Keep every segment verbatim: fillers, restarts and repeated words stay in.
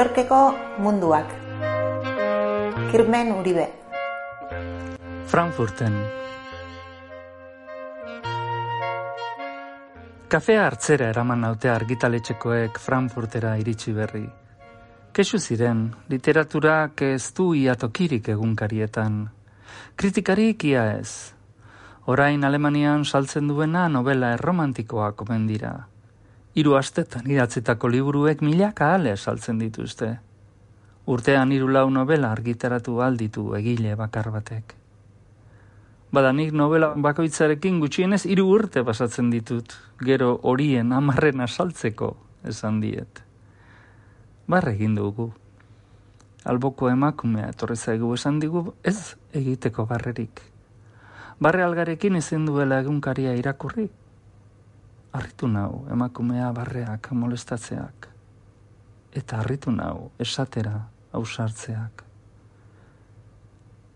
Mallorqueko munduak. Kirmen Uribe. Frankfurten. Kafea hartzera eraman naute argitaletxekoek Frankfurtera iritsi berri. Kexu ziren, literaturak ez du ia tokirik egunkarietan. Kritikarik ia ez. Orain Alemanian saltzen duena novela erromantikoak omen dira. Hiru astetan idatzitako liburuek milaka ale saltzen dituzte. Urtean hiru lau novela argitaratu alditu egile bakar batek. Badanik novela bakoitzarekin gutxienez hiru urte pasatzen ditut, gero horien hamarrena saltzeko esan diet. Barre egin dugu. Alboko emakumea etorri zaigu esan digu ez egiteko barrerik. Barre algarekin ezin duela egunkaria irakurri. Harritu nau emakumea barreak molestatzeak. Eta harritu nau esatera ausartzeak.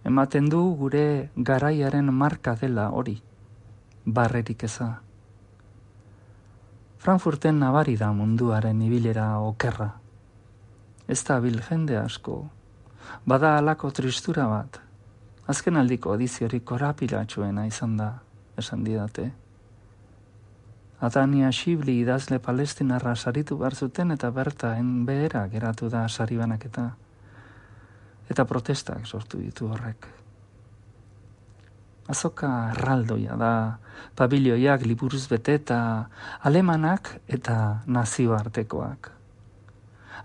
Ematen du gure garaiaren marka dela hori, barrerik eza. Frankfurten nabari da munduaren ibilera okerra. Ez da bil jende asko, bada halako tristura bat. Azken aldiko ediziorik korapilatxuena izan da, esan didate. Adania Shibli idazle palestinarra saritu behar zuten eta bertan behera geratu da sari banaketa. Eta protestak sortu ditu horrek. Azoka erraldoia da, pabilioiak liburuz bete eta alemanak eta nazioartekoak.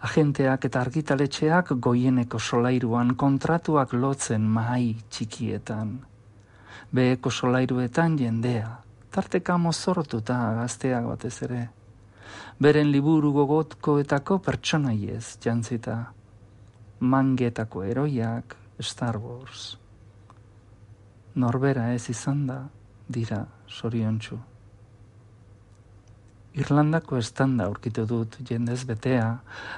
Agenteak eta argitaletxeak goieneko solairuan kontratuak lotzen mahai txikietan. Beheko solairuetan jendea, tarteka mozortuta gazteak batez ere. Beren liburu gogotkoetako pertsonaiez jantzita. Mangetako heroiak, Star Wars. Norbera ez izan da, dira zoriontsu. Irlandako estanda aurkitu dut jendez betea,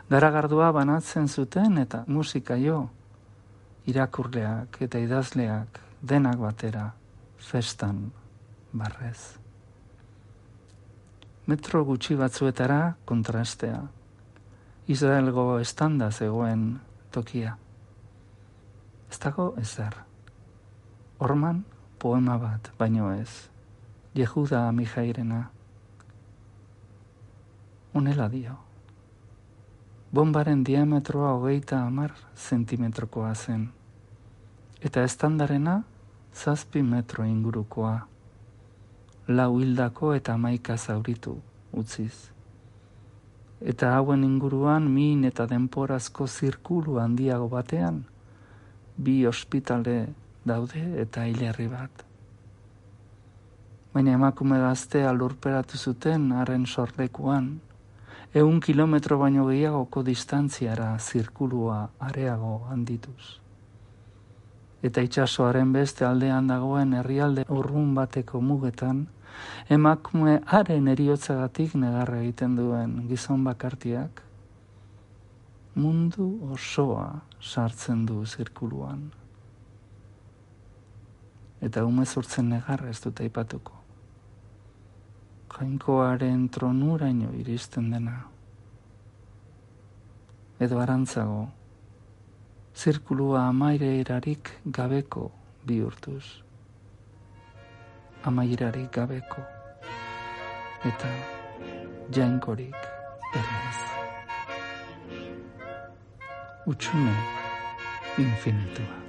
garagardua banatzen zuten eta musika jo, irakurleak eta idazleak denak batera, festan barrez. Metro gutxi batzuetara kontrastea, Israelgo estanda zegoen tokia. Ez dago ezer. Horman poema bat, baino ez, Yehuda Amijairena. Honela dio. Bombaren diametroa hogeita hamar zentimetrokoa zen. Eta estandarena zazpi metro ingurukoa. Lau hildako eta hamaika zauritu utziz. Eta hauen inguruan min eta denporazko zirkulu handiago batean, bi ospitale daude eta hilerri bat. Baina emakume gaztea lurperatu zuten haren sorlekuan, Eun kilometro baino gehiagoko distantziara zirkulua areago handituz. Eta itsasoaren beste aldean dagoen herrialde urrun bateko mugetan, emakume haren heriotzagatik negarra egiten duen gizon bakartiak, mundu osoa sartzen du zirkuluan. Eta umezurtzen negarra ez dut aipatuko. Jainkoaren tronuraino iristen dena. Edo arantzago, zirkulua amairerarik gabeko bihurtuz. Amairarik gabeko. Eta jainkorik ere ez. Utsume infinitua.